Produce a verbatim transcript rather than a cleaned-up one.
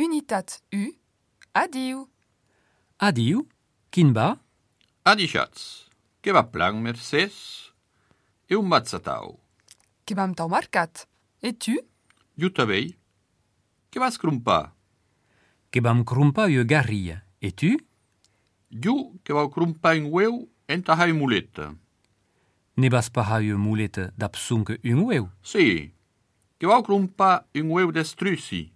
Unitat un, adiu. Adiu, quin va? Adishatz, que va plan, mercés. E on vatz atau? Que vam tau marcat. E tu? Jo tanben. Que vas crompar? Que vam crompar ua garria. E tu? Jo que vau crompar un ueu entà har ua moleta. Ne vas pas har ua moleta dab sonque un ueu? Si, que vau crompar un ueu d'estruci